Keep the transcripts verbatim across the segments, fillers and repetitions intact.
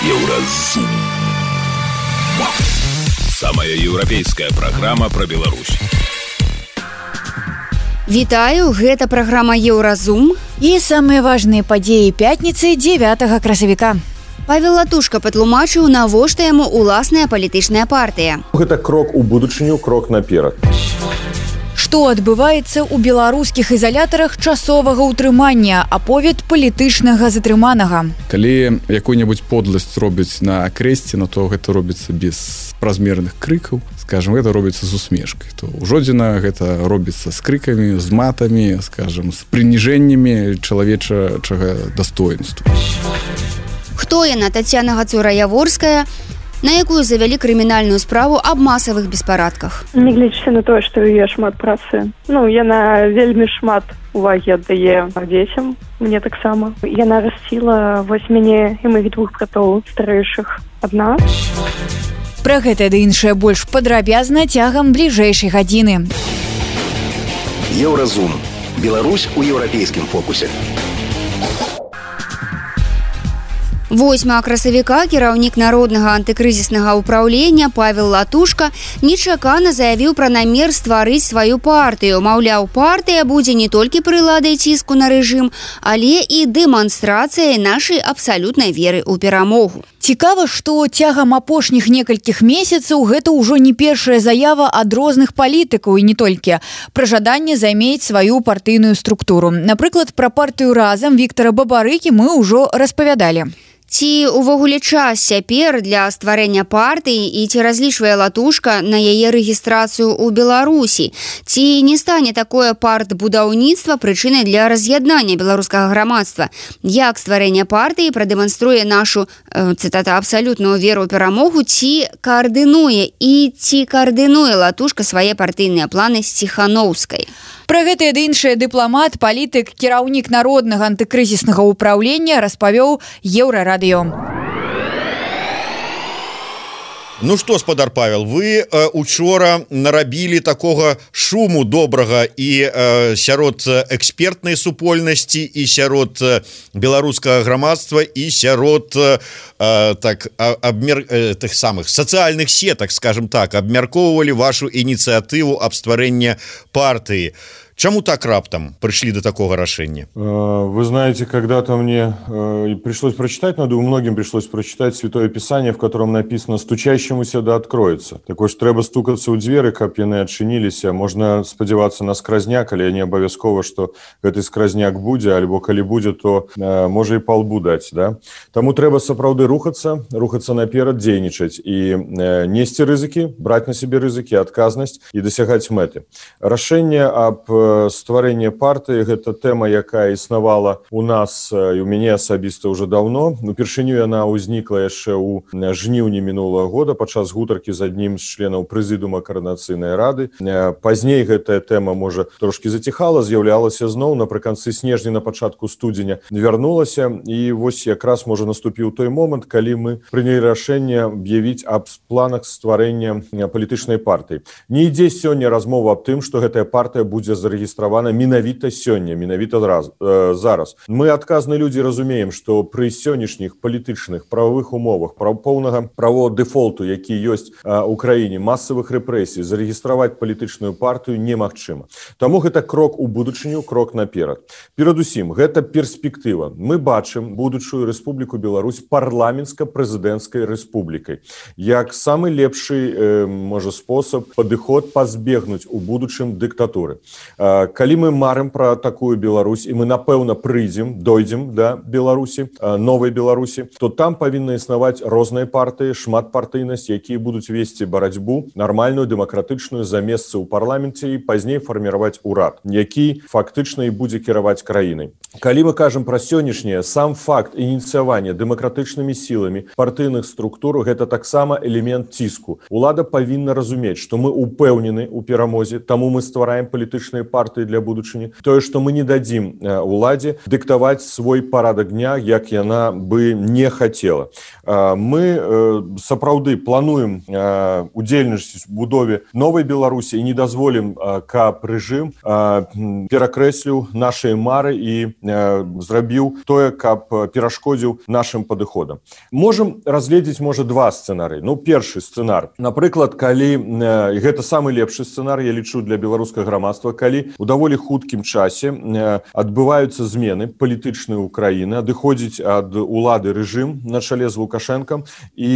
Еўразум. Самая еўрапейская праграма пра Беларусь. Вітаю, гэта праграма Еўразум. І самыя важныя падзеі пятніцы дзевятага красавіка. Павел Латушка патлумачыў, навошта яму уласная палітычная партыя. Гэта крок у будучыню, крок наперад. Што адбываецца ў беларускіх ізалятарах часовага ўтрымання, аповед палітычнага затрыманага. Калі якую-небудзь подласць робяць на акрэсціну, то гэта робіцца без празмерных крыкаў. Скажем, гэта робіцца з усмешкай. То ў Жодзіна гэта робіцца з крыкамі, з матамі, скажем, з прыніжэннямі чалавечага дастоінства. Хто яна, Таццяна Гацура-Яворская, на якую завялі крымінальную справу аб масавых беспарадках? Нягледзячы на тое, што яе шмат працы. Ну, яна вельмі шмат увагі аддае дзецям, мне таксама. Яна расціла вось мяне і маіх двух братоў старэйшых адна. Пра гэта ды іншае больш падрабязна цягам бліжэйшай гадзіны. Еўразум. Беларусь у еўрапейскім фокусе. восьмага красавіка кіраўнік народнага антыкрызіснага ўпраўлення Павел Латушка нечакана заявіў пра намер стварыць сваю партыю. Маўляў, партыя будзе не толькі прыладай ціску на рэжым, але і дэманстрацыяй нашай абсалютнай веры ў перамогу. Цікава, што цягам апошніх некалькіх месяцаў гэта ўжо не першая заява ад розных палітыкаў і не толькі пра жаданне займець сваю партыйную структуру. Напрыклад, пра партыю «Разам» Віктара Бабарыкі мы ўжо распавядалі. Ці ўвогуле час цяпер для стварэння партыі і ці разлічвае Латушка на яе рэгістрацыю ў Беларусі? Ці не стане такое партбудаўніцтва прычынай для раз'яднання беларускага грамадства? Як стварэнне партыі прадэманструе нашу, э, цытата, абсалютную веру ў перамогу, ці каардынуе і ці каардынуе Латушка свае партыйныя планы з Ціханаўскай? Пра гэтае ды іншае дыпламат, палітык, кіраўнік народнага антыкрызіснага ўпраўлення распавёў Еўрарадыё. Ну што, спадар Павел, вы э, учора нарабілі такога шуму добрага і э, сярод экспертнай супольнасці, і сярод э, беларускага грамадства, і сярод э, так, абмер... э, тых самых сацыяльных сетак, скажем так, абмяркоўвалі вашу ініцыятыву аб стварэння партыі. Чему так раптом пришли до такого решения? Вы знаете, когда-то мне пришлось прочитать, но думаю, многим пришлось прочитать Святое Писание, в котором написано «Стучащемуся да откроется». Такое ж трэба стукаться у дзверы, каб яны адчыніліся. Можна спадзявацца на скразняк, але не абавязкова, што гэты скразняк будзе, альбо калі будзе, то можа і палбу даць, да? Таму трэба сапраўды рухацца, рухацца наперад, дзейнічаць і несці рызыкі, браць на сябе рызыкі, адказнасць і дасягаць мэты. Рашэнне аб стварэнне партыі — гэта тэма, якая існавала у нас і у мяне асабіста ўжо даўно. Упершыню яна ўзнікла яшчэ ў жніўні мінулага года падчас гутаркі з аднім з членаў прэзідыума Коардынацыйнай рады. Пазней гэтая тэма, можа, трошкі заціхала, з'яўлялася зноў, напрыканцы снежня, на пачатку студзеня вярнулася, і вось якраз, можа, наступіў той момант, калі мы прынялі рашэнне аб'явіць аб планах стварэння палітычнай партыі. Не ідзе сёння размова аб тым, што гэтая партыя будзе зарэгістравана менавіта сёння, менавіта раз, э, зараз. Мы, адказныя людзі, разумеем, што пры сённяшніх палітычных прававых умовах, прав поўнага правового дэфолту, які ёсць э, у краіне, масавых рэпрэсій, зарэгістраваць палітычную партыю немагчыма. Таму гэта крок у будучыню, крок наперад. Перадусім, гэта перспектыва. Мы бачым будучую Рэспубліку Беларусь парламенцка-прэзідэнцкай рэспублікай як самы лепшы, э, можа, спосаб, падыход пазбегнуць у будучым дыктатуры. Калі мы марым пра такую Беларусь, і мы, напэўна, прыйдзем, дойдзем да Беларусі, новай Беларусі, то там павінны існаваць розныя партыі, шматпартыйнасць, якія будуць весці барацьбу нармальную, дэмакратычную за месцы ў парламенце і пазней фарміраваць урад, які фактычна і будзе кіраваць краінай. Калі мы кажам пра сённяшняе, сам факт ініцыявання дэмакратычнымі сіламі партыйных структур — гэта таксама элемент ціску. Улада павінна разумець, што мы упэўнены ў перамозе, таму мы ствараем палітычныя партыі для будучыні, тое, што мы не дадзім уладзе дыктаваць свой парадак дня, як яна бы не хацела. Мы сапраўды плануем удзельнасць у будове новай Беларусі і не дазволім, каб рэжым перакрэсліў нашыя мары і зрабіў тое, каб перашкодзіў нашым падыходам. Можам разгледзець, можа, два сцэнарыі. Ну, першы сцэнар. Напрыклад, калі, гэта самы лепшы сцэнар, я лічу, для беларускага грамадства, калі у даволі хуткім часе адбываюцца змены палітычныя ўкраіны, адыходзіць ад улады рэжым на чале з Лукашэнкам, і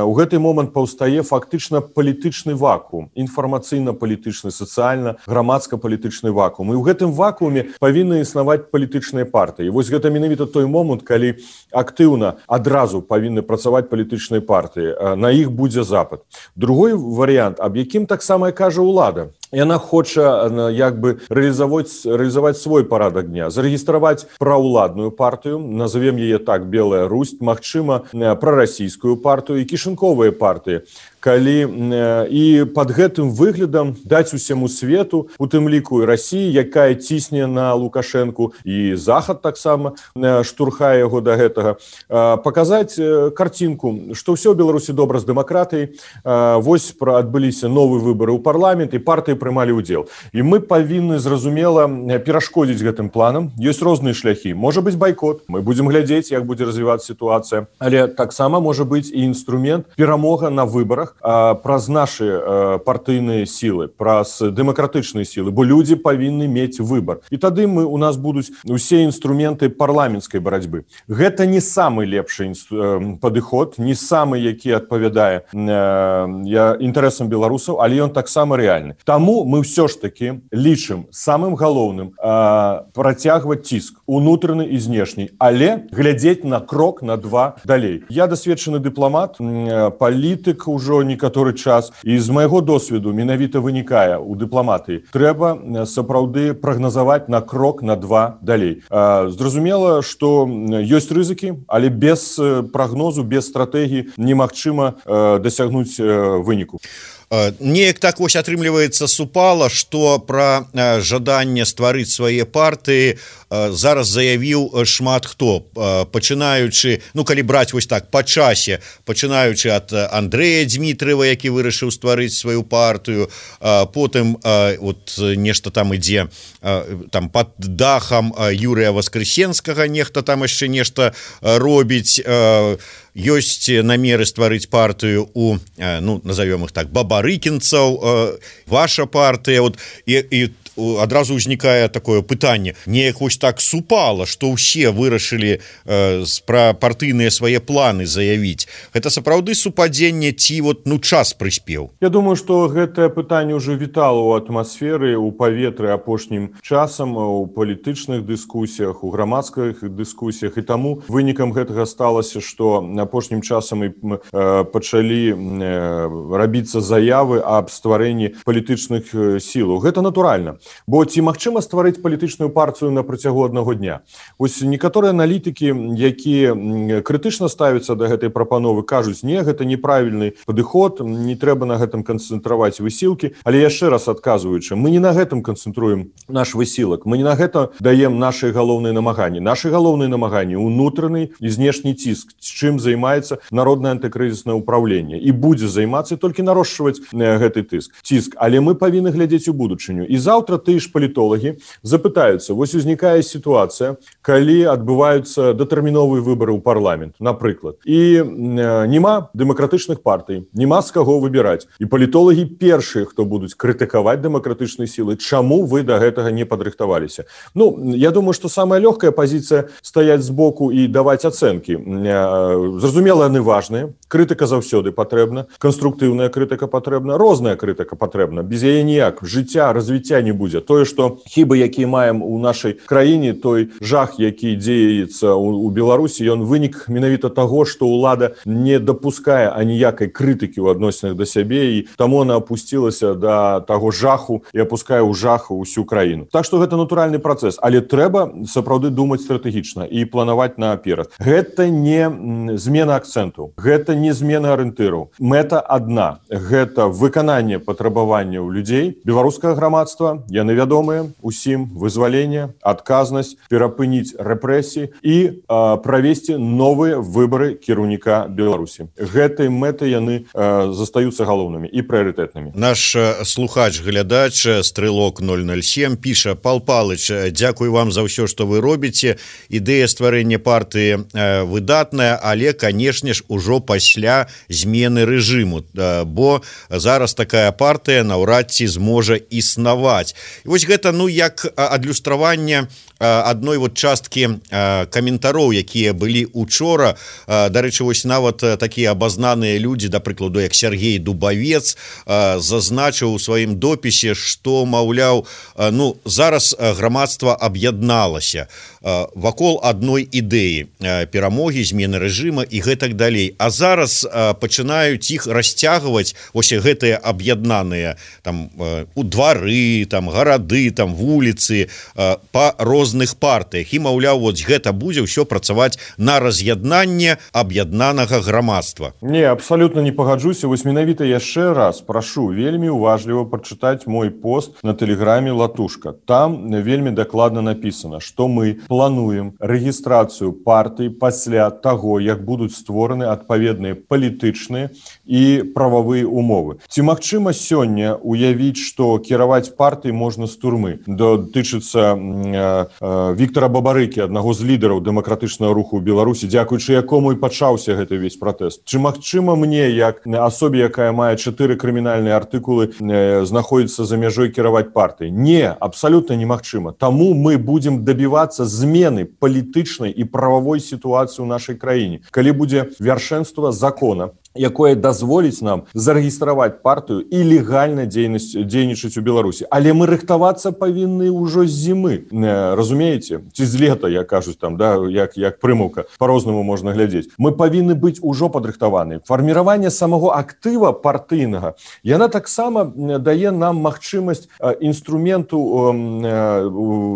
ў гэты момант паўстае фактычна палітычны вакуум, інфармацыйна-палітычны, сацыяльна-грамадска-палітычны вакуум. І ў гэтым вакууме павінны існаваць палітычныя партыі. І вось гэта менавіта той момант, калі актыўна адразу павінны працаваць палітычныя партыі. На іх будзе запад. Другой варыянт, аб якім таксама кажа ўлада. Яна хоча як бы рэалізаваць, рэалізаваць свой парадак дня, зарэгістраваць праўладную партыю, назовем яе так, Белая Русь, магчыма, прарасійскую партыю і кішынковыя партыі. Калі і пад гэтым выглядам даць усяму свету, у тым ліку і Расіі, якая цісне на Лукашэнку, і Захад таксама штурхае яго да гэтага, паказаць карцінку, што ўсё ў Беларусі добра з дэмакратыяй, вось адбыліся новыя выбары ў парламент, і партыі прымалі ўдзел. І мы павінны, зразумела, перашкодзіць гэтым планам. Ёсць розныя шляхі. Можа быць байкот, мы будзем глядзець, як будзе развівацца сітуацыя, але таксама можа быць і інструмент перамога на выбарах праз нашы партыйныя сілы, праз дэмакратычныя сілы, бо людзі павінны мець выбар. І тады мы, у нас будуць усе інструменты парламенцкай барацьбы. Гэта не самы лепшы падыход, не самы, які адпавядае інтарэсам беларусаў, але ён таксама рэальны. Таму мы ўсё ж такі лічым самым галоўным працягваць ціск унутраны і знешні, але глядзець на крок, на два далей. Я дасведчаны дыпламат, палітык ужо некаторы час, і з майго досведу менавіта вынікае у дыпламатыі. Трэба сапраўды прагназаваць на крок, на два далей. Зразумела, што ёсць рызыкі, але без прагнозу, без стратэгіі немагчыма дасягнуць выніку. Неяк так вось атрымліваецца супала, што пра жаданне стварыць свае партыі зараз заявіў шмат хто, пачынаючы, ну калі браць вось так па часе, пачынаючы ад Андрэя Дзмітрыева, які вырашыў стварыць сваю партыю, потым от нешта там ідзе там пад дахам Юрыя Васкрэсенскага, нехта там яшчэ нешта робіць, ёсць намеры стварыць партыю у, ну, назовём іх так, бабарыкінцаў, ваша партыя, от, і, і адразу ўзнікае такое пытанне, неяк вось так супала, што ўсе вырашылі э, пра партыйныя свае планы заявіць. Гэта сапраўды супадзенне ці вот, ну, час прыспеў? Я думаю, што гэтае пытанне ўжо вітала ў атмасферы, у паветры апошнім часам, у палітычных дыскусіях, у грамадскіх дыскусіях, і таму вынікам гэтага сталася, што апошнім часам і э, пачалі э, рабіцца заявы аб стварэнні палітычных сілаў. Гэта натуральна. Бо ці магчыма стварыць палітычную партыю на працягу аднаго дня? Вось некаторыя аналітыкі, якія крытычна ставяцца да гэтай прапановы, кажуць, не, гэта неправільны падыход, не трэба на гэтым канцэнтраваць высілкі, але яшчэ раз адказваючы, мы не на гэтым канцэнтруем наш высілак, мы не на гэта даем нашы галоўныя намаганні. Нашы галоўныя намаганні унутраны і знешні ціск, з чым займаецца народнае антыкрызіснае ўпраўленне, і будзе займацца толькі нарошчваць гэты тыск, ціск, але мы павінны глядзець у будучыню. І заўтра тыя ж палітолагі запытаюцца, вось узнікае сітуацыя, калі адбываюцца датэрміновыя выбары ў парламент, напрыклад, і няма дэмакратычных партый, няма з каго выбіраць, і палітолагі першыя, хто будуць крытыкаваць дэмакратычныя сілы, чаму вы да гэтага не падрыхтаваліся? Ну, я думаю, што самая лёгкая пазіцыя стаяць збоку і даваць ацэнкі. Зразумела, яны важныя, крытыка заўсёды патрэбна, канструктыўная крытыка патрэбна, розная крытыка патрэбна, без яе ніяк жыцця, развіцця не будзе. Тое, што хібы, якія маем у нашай краіне, той жах, які дзеецца ў Беларусі, ён вынік менавіта таго, што ўлада не дапускае аніякай крытыкі ў адносінах да сябе, і таму она апусцілася да таго жаху і апускае ў жаху ўсю краіну. Так што гэта натуральны працэс, але трэба сапраўды думаць стратэгічна і планаваць наперад. Гэта не змена акцэнту, гэта не змена арыентыраў. Мэта адна. Гэта выкананне патрабаванняў людзей, беларускага грамадства, яны вядомыя усім, вызвалення, адказнасць, перапыніць рэпрэсіі і а, правесці новыя выбары кіраўніка Беларусі. Гэтай мэты яны а, застаюцца галоўнымі і прыярытэтнымі. Наш слухач, глядач, стрэлок ноль ноль сем піша: Пал Палыч, дзякуй вам за ўсё, што вы робіце. Ідэя стварэння партыі э, выдатная, але, канешне ж, ужо пасля змены рэжыму, э, бо зараз такая партыя наўрад ці зможа існаваць. І вось гэта, ну, як адлюстраванне адной вот часткі каментароў, якія былі учора. Дарэчы, вось нават такія абазнаныя людзі, да прыкладу, як Сергей Дубавец, зазначыў у сваім допісе, што, маўляў, ну, зараз грамадства аб'ядналася вакол адной ідэі перамогі, змены рэжыма і гэтак далей. А зараз пачынаюць іх расцягваць, вось гэтыя аб'яднаныя там у двары, там гарады, там вуліцы, па розных партыях. І, маўляў, вот гэта будзе ўсё працаваць на раз'яднанне аб'яднанага грамадства. Не, абсалютна не пагаджуся. Вось менавіта яшчэ раз прашу вельмі уважліва прачытаць мой пост на тэлеграме «Латушка». Там вельмі дакладна напісана, што мы плануем рэгістрацыю партый пасля таго, як будуць створаны адпаведныя палітычныя і прававыя умовы. Ці магчыма сёння уявіць, што кіраваць партый можна з турмы? Датычыцца э, э, Віктара Бабарыкі, аднаго з лідараў дэмакратычнага руху ў Беларусі, дзякуючы якому і пачаўся гэты весь пратэст. Ці магчыма мне, як асобе, якая мае чатыры крымінальныя артыкулы, э, знаходзіцца за мяжой кіраваць партый? Не, абсалютна немагчыма. Таму мы будзем дабівацца змены палітычнай і прававой сітуацыі ў нашай краіне. Калі будзе вяршэнства закона, якое дазволіць нам зарэгістраваць партыю і легальна дзейнічаць у Беларусі. Але мы рыхтавацца павінны ўжо з зімы. Разумееце? Ці з лета, як кажуць там, да, як, як прымаўка, па-рознаму можна глядзець. Мы павінны быць ужо падрыхтаваны. Фарміраванне самого актыва партыйнага, яна таксама дае нам магчымасць інструменту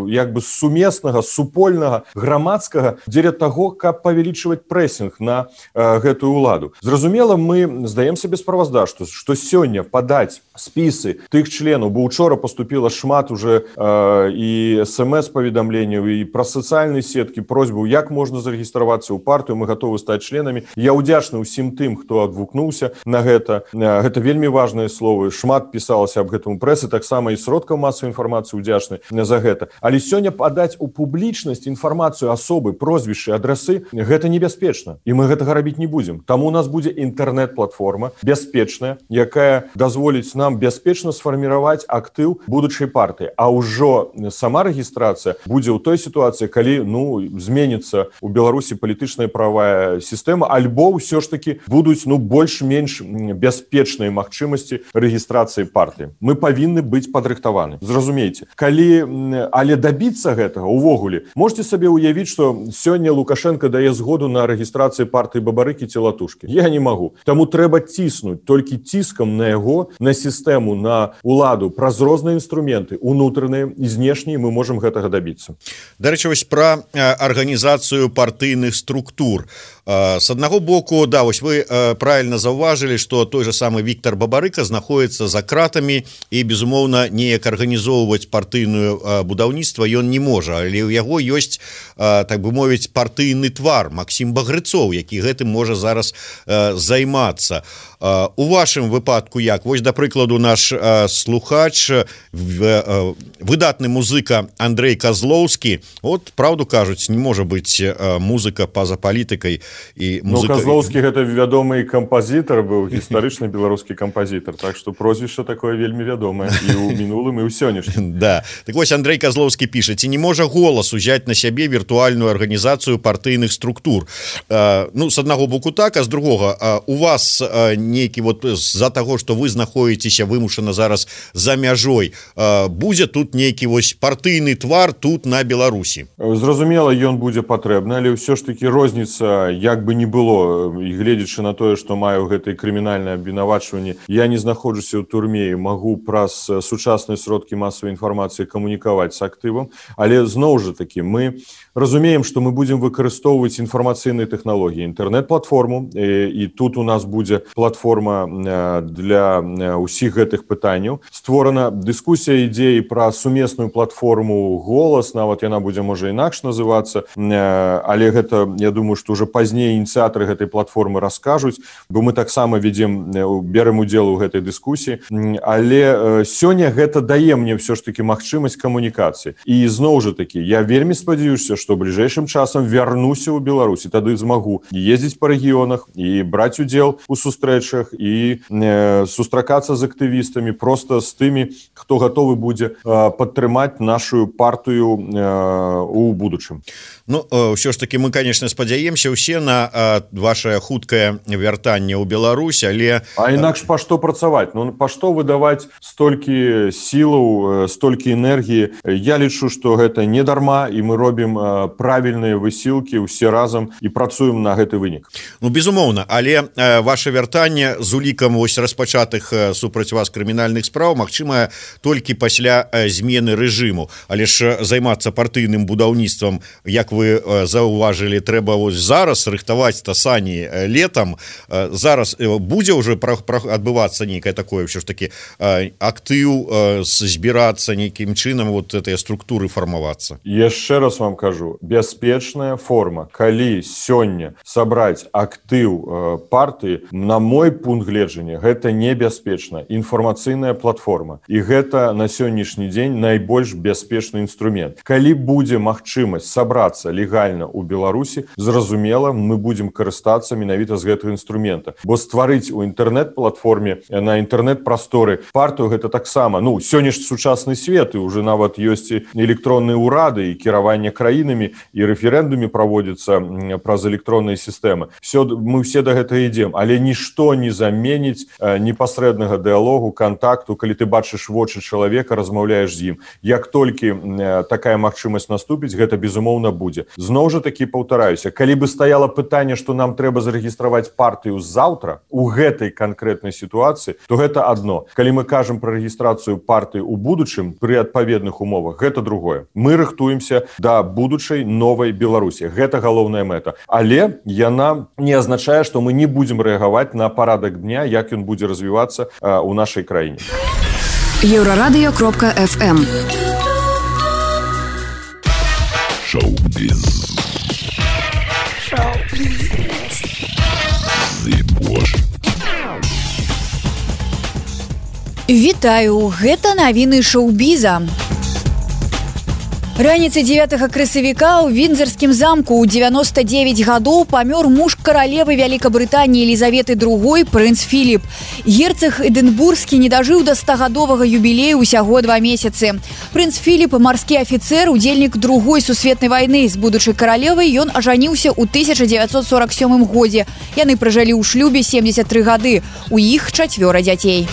як бы сумеснага, супольнага, грамадскага дзеля таго, каб павялічваць прэсінг на гэтую ўладу. Зразумела, мы здаем себе справаздачу, што, што сёння падаць спісы тых членаў, бо учора поступила шмат уже э, і смс-паведамленняў, і праз сацыяльныя сеткі просьбу, як можна зарэгістравацца ў партыю, мы готовы стаць членамі. Я ўдзячны ўсім тым, хто адгукнуўся на гэта. Гэта вельмі важныя словы. Шмат пісалася аб гэтым у прэсы, таксама і сродкаў масавай інфармацыі ўдзячны за гэта. Але сёння падаць у публічнасць інфармацыю асобы, прозвішчы, адрасы, гэта небяспечна. І мы гэтага рабіць не будзем. Таму у нас будзе інтэрнэт-платформа бяспечная, якая дазволіць нам бяспечна сфарміраваць актыў будучай партыі. А ўжо сама рэгістрацыя будзе ў той сітуацыі, калі, ну, зменіцца ў Беларусі палітычная правая сістэма, альбо ўсё ж такі будуць, ну, больш-менш бяспечныя магчымасці рэгістрацыі партыі. Мы павінны быць падрыхтаваны. Зразумейце. Калі, але дабіцца гэтага увогуле, можете сабе ўявіць, што сёння Лукашенко дае згоду на рэгістрацыю партыі Бабарыкі ці Латушкі. Я не могу. Таму трэба ціснуць толькі ціскам на яго, на сістэму, на уладу, праз розныя інструменты, унутраныя і знешнія, мы можам гэтага дабіцца. Дарэчы, вось пра арганізацыю партыйных структур. С аднаго боку, да, вось вы правильно заўважылі, што той же самы Віктар Бабарыка знаходіцца за кратамі і, безумоўна, неяк арганізоўваць партыйную будаўніцтва ён не можа, але ў яго ёсць, так бы мовіць, партыйны твар Максім Багрыцоў, які гэтым можа зараз займацца. У вашым выпадку як? Вось, да прыкладу, наш слухач, выдатны музыка Андрей Козлоўскі, от, правду кажуць, не можа быць музыка па-за палітыкай. І музыка... Ну, Козлоўскі гэта вядомы кампазітар быў, гістарычны беларускі кампазітар, так што прозвішча такое вельмі вядомае і ў мінулым, і ў сённяшнім. Да. Так вось Андрей Козлоўскі піша: ці не можа голас узяць на сябе віртуальную арганізацыю партыйных структур? Ну, з аднаго боку так, а з другога, у вас нейкі вот з-за таго, што вы знаходзіцеся вымушана зараз за мяжой, будзе тут нейкі вось партыйны твар тут на Беларусі? Зразумела, ён будзе патрэбны, але ўсё ж такі розніца, як бы не было, і гледзячы на тое, што маю гэтае крымінальнае абвінавачванне, я не знаходжуся ў турме і магу праз сучасныя сродкі масавай інфармацыі камунікаваць з актывам, але зноў жа такі мы разумеем, што мы будзем выкарыстоўваць інфармацыйныя тэхналогіі, інтэрнэт-платформу, і, і тут тут у нас будзе платформа для ўсіх гэтых пытанняў. Створана дыскусія ідзеі пра сумесную платформу «Голас», нават яна будзе, можа, інакш называцца, але гэта, я думаю, што ўжо пазней ініцыятары гэтай платформы раскажуць, бо мы таксама ведзем, берем удзел у гэтай дыскусіі, але сёння гэта дае мне ўсё ж такі магчымасць камунікацыі. І зноў жа такі, я вельмі спадзяюся, што бліжэйшым часам вярнуся ў Беларусь, і тады змагу ездзіць па рэгіёнах і браць удзел у сустрэчах і э, сустракацца з актывістамі, просто з тымі, хто гатовы будзе э, падтрымаць нашу партыю э, у будучым. Ну, ўсё ж таки мы, конечно, спадзяемся ўсе на э, ваше хуткае вяртанне ў Беларусь, але... А інакш па што працаваць? Ну, па што выдаваць столькі сілаў, столькі энергіі? Я лічу, што гэта не дарма, і мы робім э, правільныя высілкі ўсе разам і працуем на гэты вынік. Ну, безумоўна, але э, ваше вяртанне з улікам вось распачатых э, супраць вас крымінальных спраў магчымае толькі пасля э, змены рэжыму. Але ж займацца партыйным будаўніцтвам, як вы э, заўважылі, трэба вось зараз рыхтаваць тасані э, летам. Э, зараз э, будзе ўжо пра, пра, адбывацца нейкае такое ўсё ж такі э, актыў э, збірацца нейкім чынам, вот гэтыя структуры фармавацца. Яшчэ раз вам кажу, бяспечная форма, калі сёння сабраць актыў э, партыі, на мой пункт гледжання, гэта небяспечна. Інфармацыйная платформа. І гэта на сённяшні дзень найбольш бяспечны інструмент. Калі будзе магчымасць сабрацца легальна ў Беларусі, зразумела, мы будзем карыстацца менавіта з гэтага інструмента. Бо стварыць у інтэрнэт-платформе, на інтэрнэт-прасторы партыю, гэта таксама, ну, сёння ж сучасны свет, і уже нават ёсць і электронныя ўрады, і кіраванне краінамі, і рэферэндумы праводзяцца праз электронныя сістэмы. Все, мы все да гэтага ідзем, але нішто не заменіць э, непасрэднага дыалогу, кантакту, калі ты бачыш вочы чалавека, размаўляеш з ім. Як толькі э, такая магчымасць наступіць, гэта безумоўна будзе. Зноў жа такі паўтараюся, калі бы стаяла пытанне, што нам трэба зарэгістраваць партыю заўтра у гэтай канкрэтнай сітуацыі, то гэта адно. Калі мы кажам пра рэгістрацыю партыі ў будучым пры адпаведных умовах, гэта другое. Мы рыхтуемся да будучай новай Беларусі. Гэта галоўная мэта. Але яна не азначае, што мы не будзем рэагаваць на парадак дня, як ён будзе развівацца э, у нашай краіне. Еўрарадыё кропка эф эм. Шоу-біз. Вітаю, гэта навіны шоу-біза. Раніцай дзевятага красавіка ў Віндзарскім замку ў дзевяноста дзевяць гадоў памёр муж каралевы Вялікабрытаніі Елізаветы другой, прынц Філіп. Герцаг Эдынбургскі не дажыў да стагадовага юбілею ўсяго два месяцы. Прынц Філіп, марскі афіцэр, удзельнік другой сусветнай вайны. З будучай каралевай ён ажаніўся ў тысяча дзевяцьсот сорак сёмым годзе. Яны пражылі ў шлюбе семдзесят тры гады. У іх чацвёра дзяцей.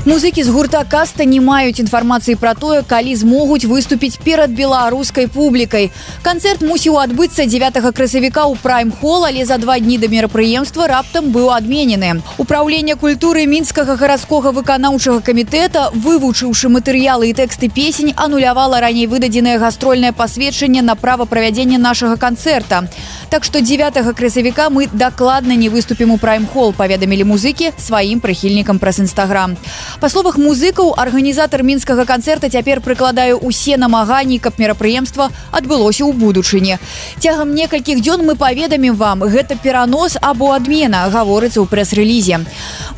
Музыкі з гурта «Каста» не маюць інфармацыі пра тое, калі змогуць выступіць перад беларускай публікай. Канцэрт мусіў адбыцца дзевятага красавіка ў Прайм-хол, але за два дні да мерапрыемства раптам быў адменены. Упраўленне культуры мінскага гарадскога выканаўчага камітэта, вывучыўшы матэрыялы і тэксты песень, анулявала раней выдадзенае гастрольнае пасведчанне на права правядзення нашага канцэрта. Так што дзевятага красавіка мы дакладна не выступім у Прайм-хол, паведамілі музыкі сваім прыхільнікам праз Інстаграм. Па словах музыкаў, арганізатар мінскага канцэрта цяпер прыкладае ўсе намаганні, каб мерапрыемства адбылося ў будучыні. Цягам некалькіх дзён мы паведамім вам, гэта перанос або адмена, гаворыцца ў прэс-рэлізе.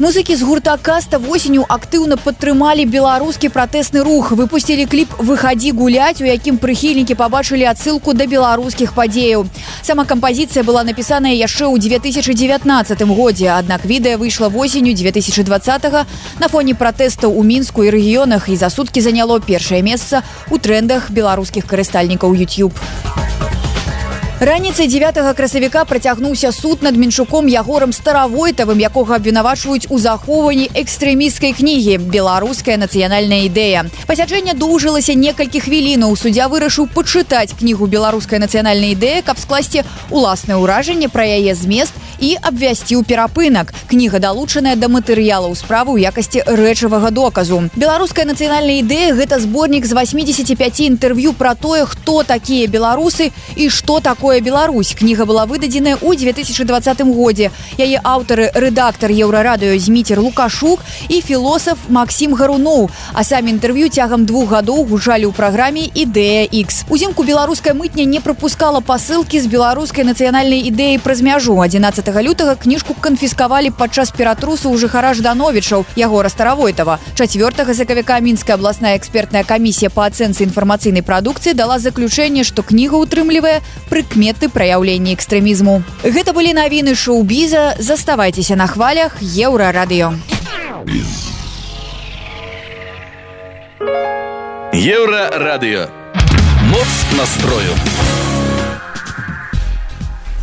Музыкі з гурта «Каста» восенню актыўна падтрымалі беларускі пратэсны рух, выпусцілі кліп «Выхадзі гуляць», у якім прыхільнікі пабачылі адсылку да беларускіх падзеяў. Сама кампазіцыя была напісаная яшчэ ў две тысячы дзевятнаццатым годзе, аднак відэа выйшла восенню две тысячы дваццатага на фоне пратэстаў у Мінску і рэгіёнах і за суткі заняло першае месца ў трэндах беларускіх карыстальнікаў YouTube. Раніцай дзевятага красавіка працягнуўся суд над Менчуком Ягорам Старавойтавым, якога абвінавачваюць у захоўванні экстрэмісцкай кнігі «Беларуская нацыянальная ідэя». Пасяджэнне доўжылася некалькі хвілінаў. Суддзя вырашыў пачытаць кнігу «Беларуская нацыянальная ідэя», каб скласці уласнае ўражанне пра яе змест і абвясціў перапынак. Кніга далучаная да матэрыялаў справы ў якасці рэчавага доказу. «Беларуская нацыянальная ідэя» – гэта зборнік з васьмідзесяці пяці інтэрв'ю пра тое, хто такія беларусы і што такое такое Беларусь». Кніга была выдадзеная ў две тысячи двадцатым годзе. Яе аўтары рэдактар Еўрарадыё Зміцер Лукашук і філосаф Максім Гаруноў. А самі інтэрв'ю цягам двух гадоў гучалі ў праграме «Ідэя Х». Узімку беларуская мытня не прапускала пасылкі з беларускай нацыянальнай ідэяй праз мяжу. адзінаццатага лютага кніжку канфіскавалі падчас ператрусу ў жыхара Ждановічаў Ягора Старавойтава. чацвёртага сакавіка Мінская абласная экспертная камісія па ацэнцы інфармацыйнай прадукцыі дала заключэнне, што кніга ўтрымлівае прыкметы праяўлення экстрэмізму. Гэта былі навіны шоу-біза. Заставайцеся на хвалях Еўрарадыё. Еўрарадыё. Моц настрою.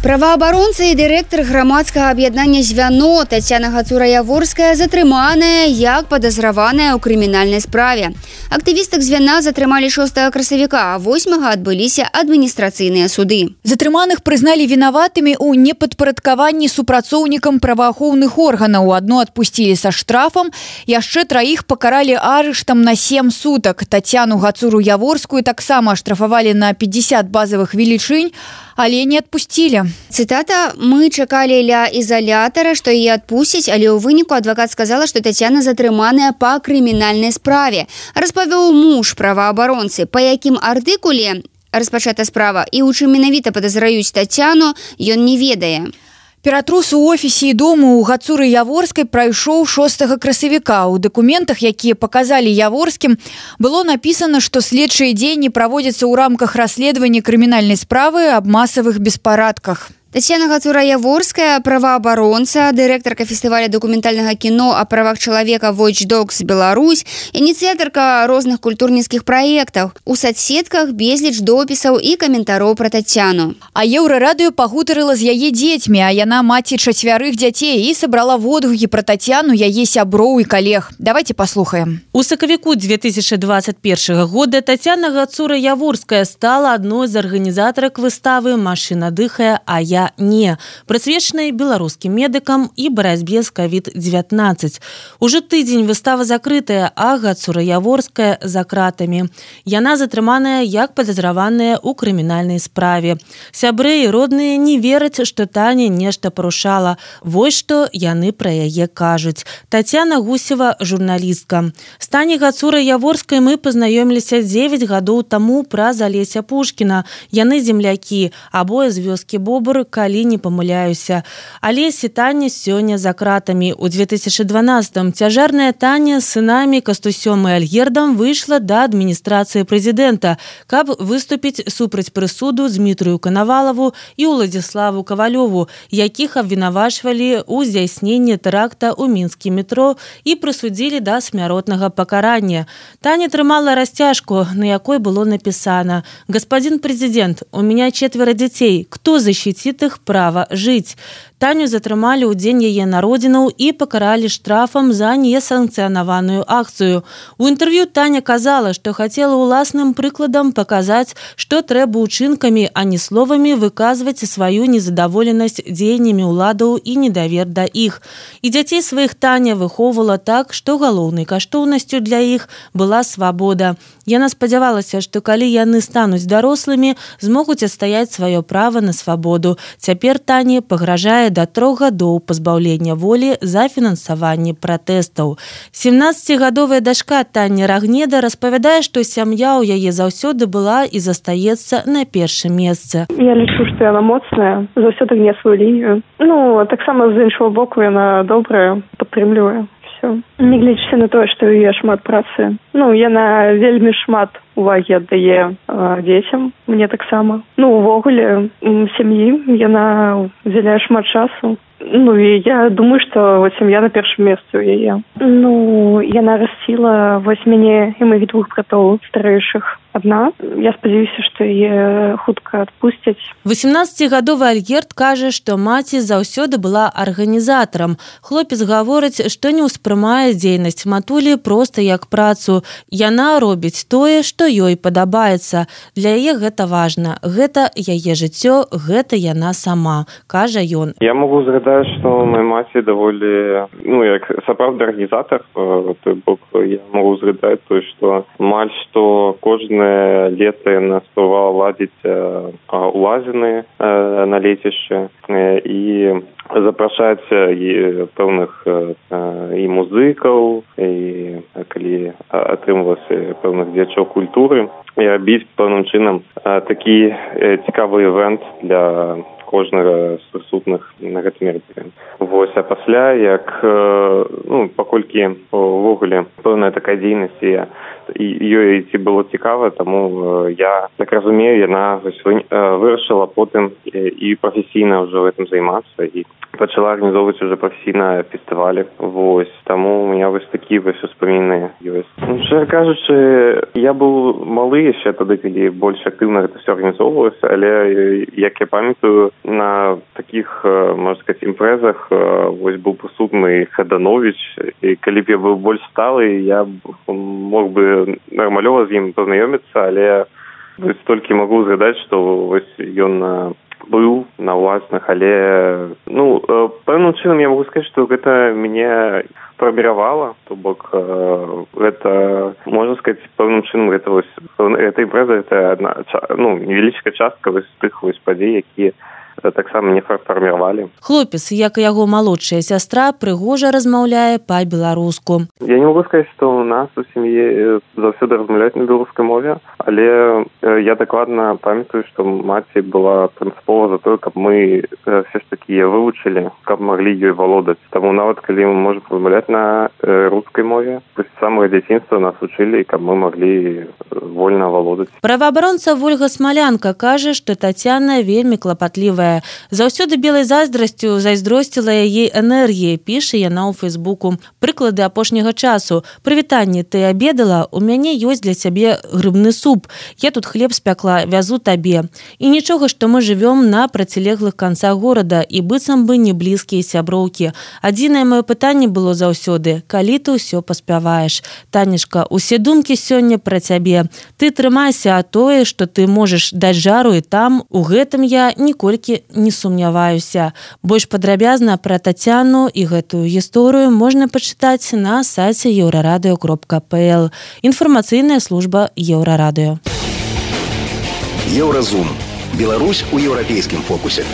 Праваабаронца і дырэктар грамадскага аб'яднання «Звяно» Тацяна Гацура-Яворская затрыманая як падазраваная ў крымінальнай справе. Актывістак «Звяна» затрымалі шостага красавіка, а восьмага адбыліся адміністрацыйныя суды. Затрыманых прызналі вінаватымі ў непадпарадкаванні супрацоўнікам праваахоўных органаў. Адно адпусцілі са штрафам, яшчэ траіх пакаралі арыштам на сем сутак. Тацяну Гацуру-Яворскую таксама аштрафавалі на пятьдесят базавых велічынь, але не адпусцілі. Цытата: «Мы чакалі ля ізалятара, што яе адпусцяць, але ў выніку адвакат сказала, што Тацяна затрыманая па крымінальнай справе», распавёў муж праваабаронцы. Па якім артыкуле распачата справа і ў чым менавіта падазраюць Тацяну, ён не ведае. Ператрус у офісе і дому ў Гацуры-Яворскай прайшоў шостага красавіка. У дакументах, якія паказалі Яворскім, было напісана, што следчыя дзеянні праводзяцца ў рамках расследавання крымінальнай справы аб масавых беспарадках. Тацяна Гацура-Яворская, праваабаронца, дырэктарка фестываля дакументальнага кіно о правах чалавека Watch Dogs Беларусь, ініцыятарка розных культурніцкіх праектаў. У садсетках безліч допісаў і каментароў пра Тацяну. А Еўрарадыё пагутарыла з яе дзецьмі, а яна маці чацвярых дзяцей і сабрала водгукі пра Тацяну яе сяброў і калег. Давайте паслухаем. У сакавіку две тысячи двадцать первого года Тацяна Гацура-Яворская стала адной з арганізатарак выставы «Машина дыхае, а я не», прысвечанай беларускім медыкам і барацьбе з ковід девятнадцать. Уже тыдзень выстава закрытая, а Гацура-Яворская за кратамі. Яна затрыманая як падазраваная ў крымінальнай справе. Сябры і родныя не вераць, што Таня нешта парушала. Вось што яны пра яе кажуць. Тацяна Гусева, журналістка. З Таняй Гацура-Яворскай мы пазнаёміліся дзевяць гадоў таму праз Алеся Пушкіна. Яны землякі, абое з вёскі Бобр, калі не памыляюся. Алесь і Таня сёння за кратамі. У две тысячи дванадцатым цяжарная Таня з сынамі Кастусём і Альгердам выйшла да адміністрацыі прэзідэнта, каб выступіць супраць прысуду Дмітрыю Канавалаву і Уладзіславу Кавалёву, якіх абвінавачвалі ў здзяйсненні тэракта ў мінскім метро і прысудзілі да смяротнага пакарання. Таня трымала расцяжку, на якой было напісана: «Господин президент, у меня четверо детей. Кто защитит их право жить?» Таню затрымалі ў дзень яе народзінаў і пакаралі штрафам за несанкцыянаваную акцыю. У інтэрв'ю Таня казала, што хацела ўласным прыкладам паказаць, што трэба ўчынкамі, а не словамі выказваць сваю незадаволенасць дзеяннямі ўладаў і недавер да іх. І дзяцей сваіх Таня выхоўвала так, што галоўнай каштоўнасцю для іх была свабода. Яна спадзявалася, што калі яны стануць дарослымі, змогуць адстаяць сваё права на свабоду. Цяпер Тані пагражае да трох гадоў пазбаўлення волі за фінансаванне пратэстаў. семнаццацігадовая дачка Таня Рагнеда распавядае, што сям'я ў яе заўсёды была і застаецца на першым месцы. Я лічу, што яна моцная, заўсёды гне сваю лінію. Ну, таксама з іншого боку яна добрая, падтрымлівае. Нягледзячы на тое, што яе шмат працы. Ну, яна вельмі шмат увагі аддае э, дзецям, мне таксама. Ну, увогуле, сям'і яна удзяляе шмат часу. Ну, і я думаю, што вот сям'я на першым месцы ў яе. Ну, яна расціла вось мяне і маіх двух братоў старэйшых адна. Я спадзяюся, што яе хутка адпусцяць. восемнаццацігадовы Альгерд кажа, што маці заўсёды была арганізатарам. Хлопец гаворыць, што не ўспрымае дзейнасць матулі проста як працу. Яна робіць тое, што ёй падабаецца. Для яе гэта важна. Гэта яе жыццё, гэта яна сама, кажа ён. Я могу згадаць углядаю, што мой маці даволі, ну, як сапраўдны арганізатар, той бок я могу згадаць той, што амаль што кожнае лета яна спрабавала ладзіць улазіны на лецішчы і запрашаць і пэўных і музыкаў, і калі атрымалася пэўных дзеячоў культуры, і рабіць пэўным чынам такі цікавы івэнт для кожнага з прысутных на гэтым мерапрыемстве. Вось, а пасля, як, ну, паколькі увогуле пэўная такая дзейнасць, і ёй ці было цікава, таму я, так разумею, яна вырашыла потым і прафесійна ўжо гэтым займацца, і пачала арганізоўваць уже прафесійна фестывалі. Вось, таму у меня вось такі вось успаміны ёсць. Ну, шчыра кажучы, я быў малы яшчэ тады, калі больш актыўна гэта ўсё арганізоўвалася, але, як я памятаю, на такіх, можна сказаць, імпрэзах вось быў прысутны Хаданович, і калі б я быў больш сталы, я мог бы нармалёва з ім пазнаёміцца, але вось толькі магу згадаць, што вось ён быў на ўласных, але, ну, пэўным чынам я могу сказаць, што гэта мяне фарміравала, то бок гэта, можна сказаць, пэўным чынам гэта вось, гэта імпрэза, гэта адна, ну, невялічкая частка вось тых вось падзей, якія таксама не фарміравалі. Хлопец, як і яго малодшая сястра, прыгожа размаўляе па-беларуску. Я не могу сказаць, што у нас у сям'і заўсёды размаўляюць на беларускай мове, але я дакладна памятаю, што маці была прынцыпова за тое, каб мы все ж такі вывучылі, каб маглі ёй валодаць. Таму нават калі мы можам размаўляць на рускай мове, з самага дзяцінства нас вучылі, каб мы маглі вольна валодаць. Праваабаронца Вольга Смалянка кажа, што Тацяна вельмі клапатлівая. Заўсёды белай зайздрасцю зайздросціла яе энергіяй, піша яна ў Фэйсбуку. Прыклады апошняга часу. Прывітанне, ты абедала? У мяне ёсць для цябе грыбны суп. Я тут хлеб спякла, вязу табе. І нічога, што мы жывём на процілеглых канцах горада і быццам бы не блізкія сяброўкі. Адзінае маё пытанне было заўсёды: калі ты ўсё паспяваеш? Танечка, усе думкі сёння пра цябе. Ты трымайся, а тое, што ты можаш даць жару і там, у гэтым я ніколькі не сумняваюся. Больш падрабязна пра Тацяну і гэтую гісторыю можна пачытаць на сайце еўрарадыё кропка пэ эл. Інфармацыйная служба Еўрарадыё. Еўразум. Беларусь у еўрапейскім фокусе.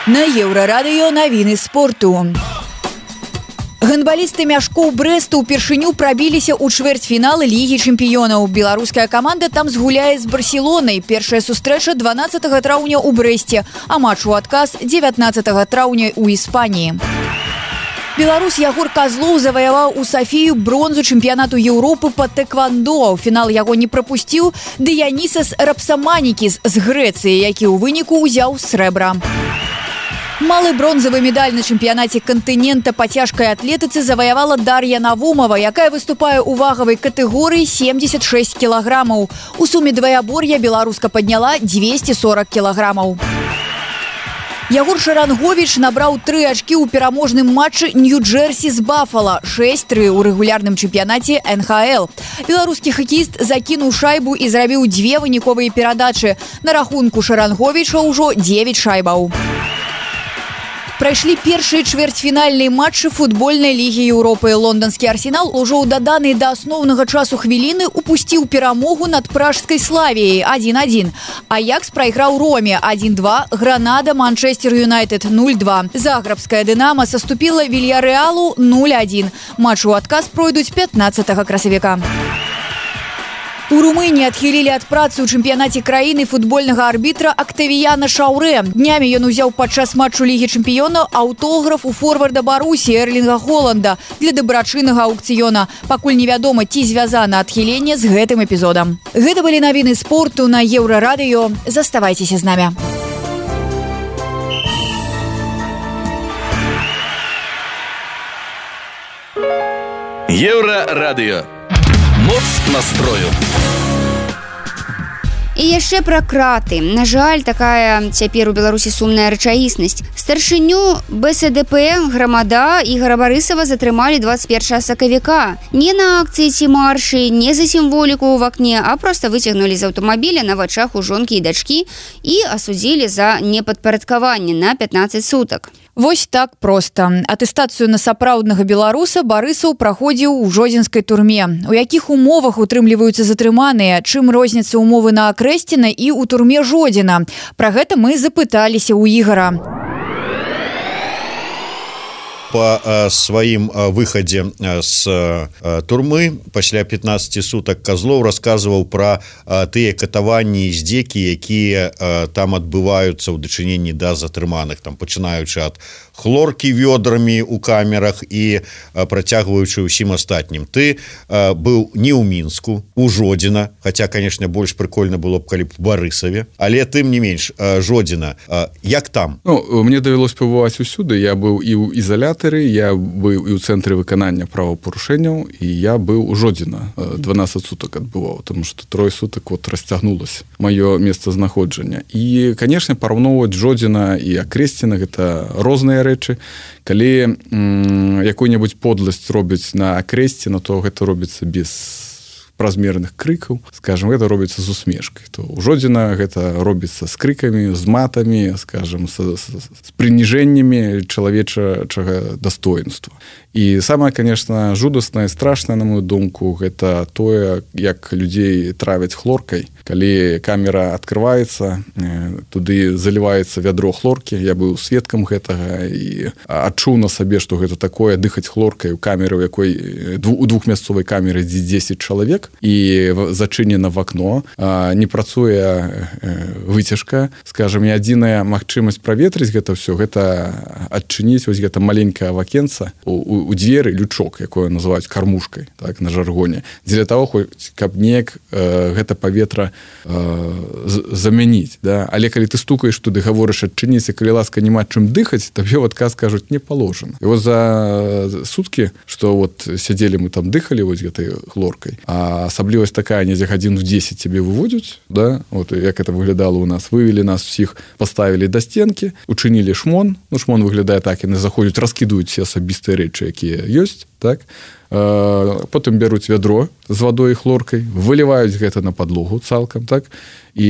На Еўрарадыё навіны спорту. Гандбалісты мяшкоў Брэсту ўпершыню прабіліся ў чвэрцьфіналы Лігі чэмпіёнаў. Беларуская каманда там згуляе з Барселонай. Першая сустрэча дванаццатага траўня ў Брэсце, а матч у адказ дзевятнаццатага траўня ў Іспаніі. Беларус Ягор Казлоў заваяваў у Сафію бронзу чэмпіянату Еўропы па тэквандо. У фінал яго не прапусціў Дыянісас Рапсаманікіс з Грэцыі, які ў выніку ўзяў срэбра. Малы бронзавы медаль на чэмпіянаце кантынента па цяжкай атлетыцы заваявала Дар'я Навумова, якая выступае ў вагавай катэгорыі семьдесят шесть кілаграмаў. У суме дваябор'я беларуска падняла двести сорок кілаграмаў. Ягор Шаранговіч набраў тры ачкі ў пераможным матчы Нью-Джерсі з Бафала, шэсць тры ў рэгулярным чэмпіянаце эн ха эл. Беларускі хакеіст закінуў шайбу і зрабіў дзве выніковыя перадачы. На рахунку Шаранговіча ўжо дзевяць шайбаў. Прайшлі першыя чвэрцьфінальныя матчы футбольнай лігі Еўропы. Лонданскі Арсенал ужо ў даданай да асноўнага часу хвіліны упусціў перамогу над пражскай Славіяй адзін адзін. Аякс прайграў Роме адзін два, Гранада Манчестер Юнайтед нуль два. Заграбская Дынама саступіла Вільярэалу нуль адзін. Матч у адказ пройдуць пятнаццатага красавіка. У Румыніі адхілілі ад працы ў чэмпіянаце краіны футбольнага арбітра Актавіяна Шаўрэ. Днямі ён узяў падчас матчу Лігі чэмпіёнаў аўтограф у форварда Барусі Эрлінга Холанда для дабрачыннага аўкцыёна. Пакуль невядома, ці звязана адхіленне з гэтым эпізодам. Гэта былі навіны спорту на Еўрарадыё. Заставайцеся з намі. Еўрарадыё. Моц настрою. І яшчэ пра краты. На жаль, такая цяпер у Беларусі сумная рэчаіснасць. Старшыню бэ эс дэ пэ грамада Ігора Барысава затрымалі двадцать першага сакавіка. Не на акцыі ці маршы, не за сімволіку ў вакне, а проста выцягнулі з аўтамабіля на вачах у жонкі і дачкі і асудзілі за непадпарадкаванне на пятнаццаць сутак. Вось так проста. Атэстацыю на сапраўднага беларуса Барысаў праходзіў у жодзінскай турме. У якіх умовах утрымліваюцца затрыманыя, чым розніца умовы на Акрэсціна і ў турме Жодзіна. Пра гэта мы запыталіся ў Ігара. По э, сваім э, выхадзе э, з э, турмы пасля пятнаццати сутак Козлов рассказываў пра э, тыя катаванні і здзекі, якія э, там адбываюцца ў дачыненні да затрыманых, там пачынаючы ад хлоркі вёдрамі ў камерах і э, працягваючы ўсім астатнім. Ты э, быў не ў Мінску, у Жодзіна, хаця, канешне, больш прыкольна было б калі б у Барысаве, але тым не менш э, Жодзіна, э, як там? Ну, мне давялось пабываць усюды. Я быў і ў ізалятары, я быў і ў цэнтры выканання правапарушэнняў, і я быў у Жодзіна, дванаццаць сутак адбываў, тому што трое сутак вот расцягнулася маё месцазнаходжання. І, канешне, параўноўваць Жодзіна і Акрэсціна гэта розныя рэчы. Калі м, якую-небудзь подласць робяць на Акрэсціна, то гэта робіцца без празмерных крыкаў, скажем, гэта робіцца з усмешкай. То ў Жодзіна гэта робіцца з крыкамі, з матамі, скажем, з, з, з прыніжэннямі чалавечага дастоінства. І самае, конечно, жудаснае, страшнае, на мою думку, гэта тое, як людзей травяць хлоркай. Калі камера открываецца, туды заліваецца вядро хлоркі, я быў сведкам гэтага і адчуў на сабе, што гэта такое, дыхаць хлоркай у камеры, у якой у двухмясцовай камеры дзесяць чалавек, і зачынена в акно, не працуе выцяжка, скажем, і адзіная магчымасць праветрыць гэта ўсё, гэта адчыніць вось гэта маленькае вакенца у, у, у дзверы, лючок, якое называюць кармушкай, так, на жаргоне, дзеля таго, хоць каб неяк э, гэта паветра э, замяніць, да? Але калі ты стукаеш туды, гаворыш адчыніць, калі ласка няма чым дыхаць, табе в адказ кажуць не паложана. І вот за суткі, што вот сядзелі мы там дыхалі вось гэтай хлоркай, а асаблівасць такая, недзе гадзін в дзесяць цябе выводзяць, да? Вот як это выглядало у нас, вывели нас всіх, поставілі да стенкі, учынілі шмон, ну шмон выглядае так, яны заходзяць, раскідаюць все асабістыя рэчы, якія ёсць, так? Потым бяруць вядро з вадой і хлоркай, выліваюць гэта на падлогу цалкам, так? І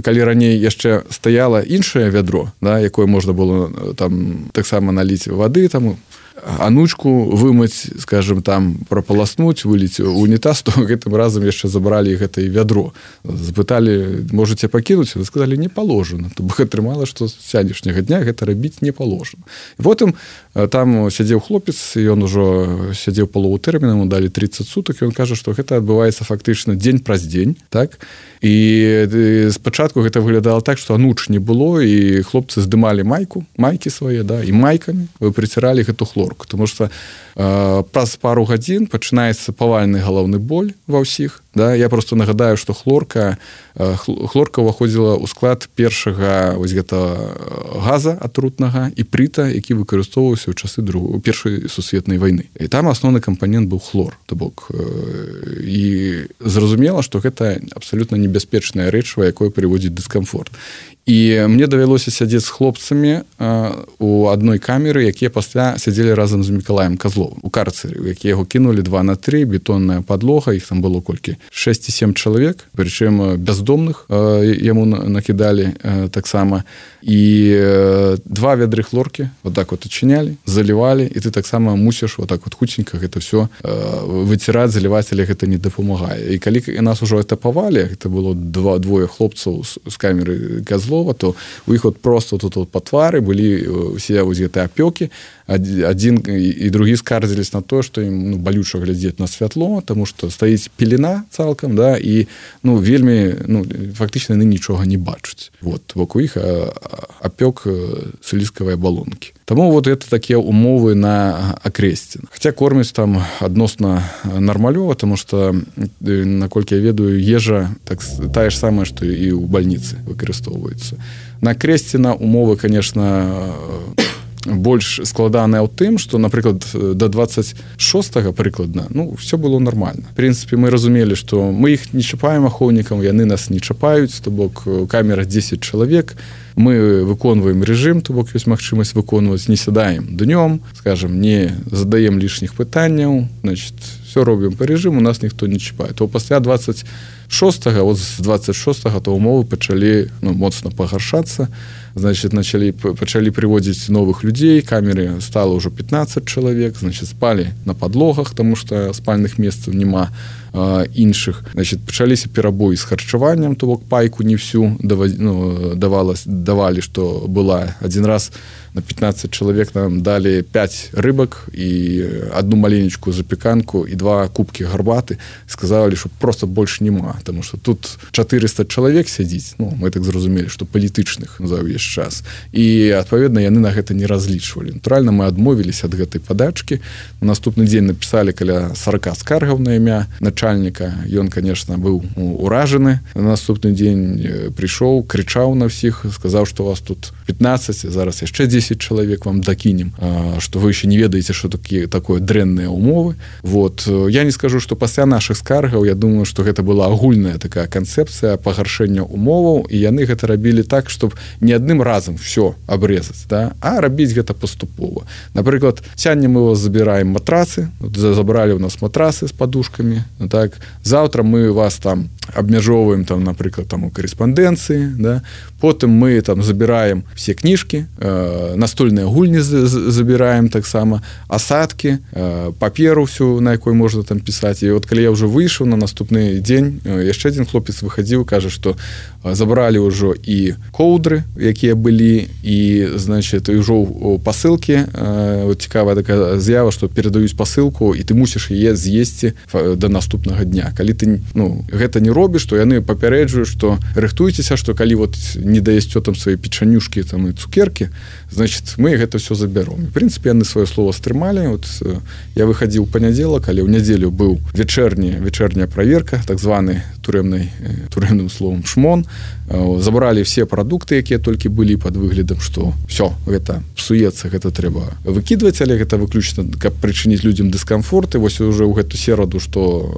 калі раней яшчэ стаяла іншае вядро, да, якое можна было там таксама наліць вады, там анучку вымыць, скажем, там прапаласнуць, выліць у унітаз, то гэтым разам яшчэ забралі гэта і вядро. Запыталі, можаце пакінуць? Вы сказалі, не паложана. То бок атрымала, што з сянешняга дня гэта рабіць не паложана. І потым там сядзеў хлопец, ён ужо сядзеў палову тэрміна, ему далі тридцать сутак, і ён кажа, што гэта адбываецца фактычна дзень праз дзень, так? І спачатку гэта выглядала так, што ануч не было, і хлопцы здымалі майку, майкі свае, да, і майкамі прыціралі гэту хлорку, тому што э, праз пару гадзін пачынаецца павальны галаўны боль ва ўсіх, да? Я просто нагадаю, што хлорка э, хлорка ўваходзіла ў склад першага вось гэта газа атрутнага і прыта, які выкарыстоўваўся ў часы другой першай сусветнай вайны. І там асноўны кампанент быў хлор, то бок э, і зразумела, што гэта абсалютна небяспечная рэчыва, якое прыводзіць дыскамфорт. І мне давялося сядзець з хлопцамі э, у адной камеры, якія пасля сядзелі разам з Мікалаем Козловым у карцеры, у які яго кінулі два на тры, бетонная падлога, іх там было колькі? шэсць ці сем чалавек, прычым бяздомных э, яму накідалі э, таксама. І э, два вядры хлоркі вот так вот адчынялі, залівалі, і ты таксама мусіш вот так вот хуценька гэта все э, выціраць, заліваць, але гэта не дапамагае. І калі нас ужо этапавалі, гэта было два двое хлопцаў з, з камеры Козлова, то у іх вот просто тут вот па твары былі усе вось гэтыя апёкі, адзін і другі скардзілись на то, што ім ну, балюча глядзець на святло, таму што стаіць пелена цалкам, да, і ну вельмі ну фактычна яны нічога не бачаць. Вот вокруг іх апёк слізкавай абалонкі. Таму вот это такія умовы на Акрэсціна. Хаця кормяць там адносна нармалёва, таму што наколькі я ведаю, ежа так тая ж самая, што і ў бальніцы выкарыстоўваецца. На Акрэсціна умовы, конечно, больш складаная ў тым, што, напрыклад, да двадцать шостага прыкладна, ну, все было нормально. В прынцыпе, мы разумелі, што мы іх не чапаем ахоўнікам, яны нас не чапаюць, то бок камера дзесяць чалавек, мы выконваем рэжым, то бок ёсць магчымасць выконваць, не сядаем днём, скажем, не задаем лішніх пытанняў, значит, все робім па рэжыму, нас ніхто не чапае. То пасля двадцать шостага, вот з двадцать шостага, то умовы пачалі, ну, моцна пагаршацца, значит, начали, пачалі прыводзіць новых людзей, камеры стало ўжо пятнадцать чалавек, значит, спалі на подлогах, тому што спальных месцаў няма а, іншых. Значит, пачаліся перабоі з харчаваннем, то бок пайку не всю давали, ну, давалось, давали, што была. Один раз на пятнадцать чалавек нам дали пять рыбак і одну маленечку запеканку і два кубкі гарбаты. Сказали, што просто больше нема, тому што тут четыреста чалавек сядзіць, ну, мы так зразумелі, што палітычных за ўвесь час. І, адпаведна, яны на гэта не разлічвалі. Натуральна, мы адмовіліся ад гэтай падачкі. На наступны дзень напісалі каля сорок скаргаў на імя начальніка. Ён, конечно, быў уражаны. На наступны дзень прыйшоў, крычаў на ўсіх, сказаў, што у вас тут пятнадцать, зараз яшчэ десять чалавек вам дакінем, што вы еще не ведаеце, што такие, такое дрэнныя умовы. Вот. Я не скажу, што пасля нашых скаргаў, я думаю, што гэта была агульная такая канцэпцыя пагаршэння умоваў, і яны гэта рабілі так, чтобы не адным разам все абрезаць, да? А рабіць гэта паступова. Напрыклад, сёння мы вас забіраем матрасы, забралі у нас матрасы з падушкамі, так? Завтра мы вас там абмяжоўваем, там, напрыклад, там у карэспандэнцыі, да? Потым мы там забіраем все кніжкі, э, настольныя гульні забіраем таксама, асадкі, э, паперу всю, на якой можна там пісаць. І от калі я ўжо выйшаў на наступны дзень, э, яшчэ адзін хлопец выхадзіў, кажа, што забралі ўжо і коўдры, якія былі, і, значит, і ўжо пасылкі, э, вот цікавая такая з'ява, што перадаюць пасылку, і ты мусіш яе з'есці да наступнага дня. Калі ты, ну, гэта не робіш, то яны папярэджваюць, што рыхтуйцеся, што калі вот не даесце там свае печанюшкі там і цукеркі, значит, мы гэта все забяром. В прынцыпе, яны сваё слово стрымалі. Вот я выхадзіў у панядзелак, але ў нядзелю быў вечерні, вечерняя праверка, так званы турэмнай, турэмным словом шмон. Забралі все прадукты, якія толькі былі пад выглядам, што все, гэта псуецца, гэта трэба выкідваць, але гэта выключна, каб прычыніць людзям дыскамфорт. І вось уже ў гэту сераду, што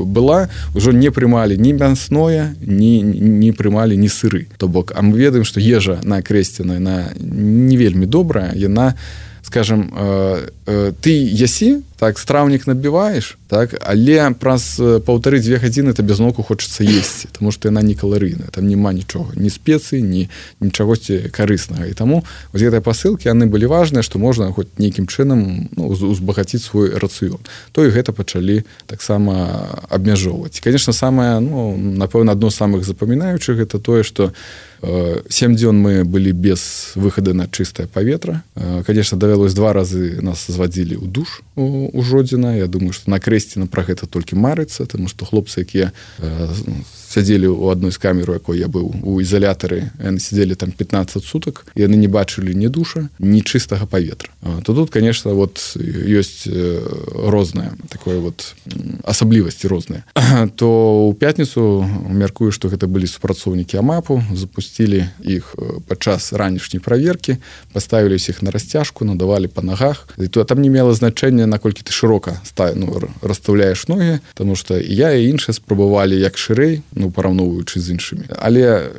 была, ўжо не прымалі ні мясное, ні, не прымалі ні сыры. То бок, а мы ведаем, што ежа на Акрэсціна, яна не вельмі добрая, яна, скажем, э, э, ты ясі, так, страўнік набіваеш, так, але праз паўтары-дзве гадзіны табе зноўку хочацца есці, таму што яна не каларыйная, там няма нічога, ні спецый, ні нічагосьці карыснага. І таму вось гэтыя пасылкі, яны былі важныя, што можна хоць нейкім чынам, ну, узбагаціць свой рацыён. То і гэта пачалі таксама абмяжоўваць. І, конечно, самае, ну, напэўна, адно з самых запамінаючых гэта тое, што сем дзён мы былі без выхада на чыстае паветра. Конечно, давялось два разы нас звадзілі ў душ у, у Жодзіна. Я думаю, што на Акрэсціна пра гэта толькі марыцца, таму што хлопцы, якія сядзелі ў адной з камер, у якой я быў у ізалятары, яны сядзелі там пятнадцать сутак, яны не бачылі ні душа, ні чыстага паветра. То тут, конечно, вот ёсць рознае такое вот асаблівасці розныя. То ў пятніцу мяркую, што гэта былі супрацоўнікі АМАПу, запусцілі іх падчас ранішняй праверкі, паставілі ўсіх на расцяжку, надавалі па нагах. І то там не мела значэння, наколькі ты шырока став, ну, расстаўляеш ногі, таму што і я, і іншыя спрабавалі як шырэй, ну, параўноўваючы з іншымі. Але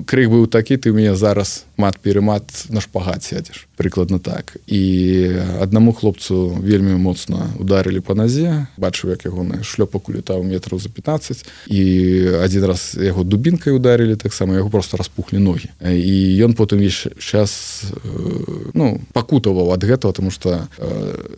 крык быў такі, ты ў мяне зараз мат-перемат на шпагат сядзеш. Прыкладна так. І аднаму хлопцу вельмі моцна ударылі па назе, бачыў, як ягоны шлёпак улетаў метраў за пятнадцать, і адзін раз яго дубінкай ударылі, таксама яго просто распухлі ногі. І ён потым весь час, ну, пакутаваў ад гэтага, таму што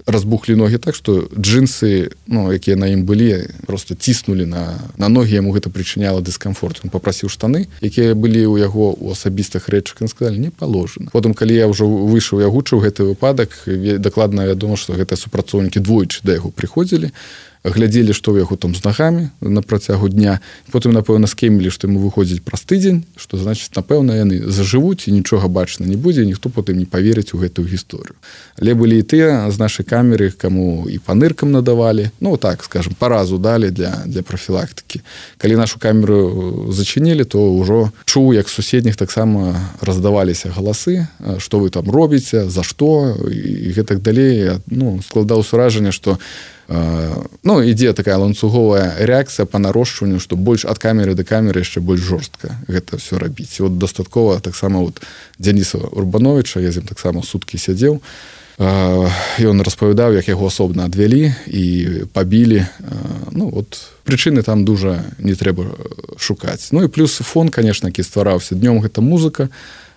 разбухлі ногі так, што джинсы, ну, якія на ім былі, просто ціснулі на, на ногі, яму гэта прычыняла дыскамфорт. Ён папрасіў штаны, якія былі ў яго ў асабістых рэчах, ён сказалі, не паложана. Потым, калі я ўжо выйшаў, я гучыў гэты выпадак, дакладна вядома, што гэтыя супрацоўнікі двойчы да яго прыходзілі, глядзелі, што ў яго там з нагамі на працягу дня. Потым, напэўна, скемілі, што ему выходзіць праз тыдзень, што, значыць, напэўна, яны зажывуць і нічога бачна не будзе, і ніхто потым не паверыць у гэтую гісторыю. Але былі і тыя з нашай камеры, каму і па ныркам надавалі, ну, так, скажем, паразу далі для, для профілактыкі. Калі нашу камеру зачынілі, то ўжо чуў, як суседніх таксама раздаваліся галасы, што вы там робіце, за што, і гэтак далей. Ну, складалася ўражанне, што ну, ідзе такая ланцуговая рэакцыя па нарошчванню, што больш ад камеры да камеры яшчэ больш жорстка гэта ўсё рабіць. І от дастаткова таксама от Дзяніса Урбановича, я з ім таксама суткі сядзеў, ён распавядаў, як яго асобна адвялі і пабілі. Ну, от прычыны там дужа не трэба шукаць. Ну і плюс фон, конечно, які ствараўся днём, гэта музыка,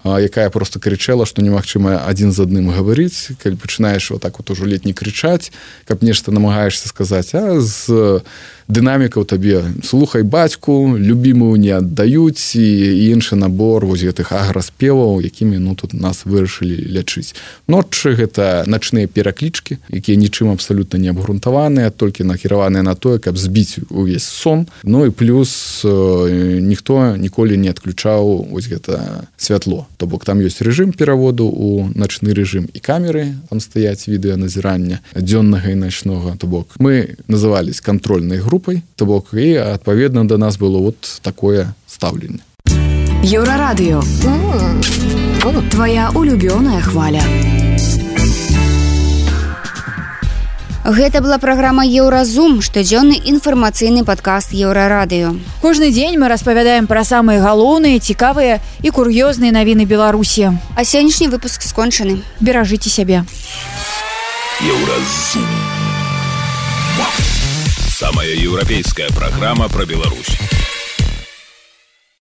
якая просто крычала, што немагчыма адзін з адным гаварыць, калі пачынаеш вот так вот ужо летні крычаць, каб нешта намагаешся сказаць, а з дынамікаў табе слухай бацьку, любімую не аддаюць, і іншы набор вось гэтых аграспеваў, якімі ну тут нас вырашылі лячыць. Ночы гэта начныя пераклічкі, якія нічым абсалютна не абгрунтаваныя, толькі накіраваныя на тое, каб збіць увесь сон. Ну і плюс ніхто ніколі не адключаў вось гэта святло. То бок там ёсць рэжым пераводу ў начны рэжым і камеры, там стаяць відэаназірання дзённага і начнога. То бок мы назывались кантрольнай групай, то бок і адпаведна да нас было вот такое стаўленне. Еўрарадыё. Твоя улюбёная хваля. Гэта была праграма Еўразум, штодзённы інфармацыйны падкаст Еўрарадыё. Кожны дзень мы распавядаем пра самыя галоўныя, цікавыя і кур'ёзныя навіны Беларусі. А сённяшні выпуск скончаны. Беражыце сябе. Еўразум. Самая еўрапейская праграма пра Беларусь.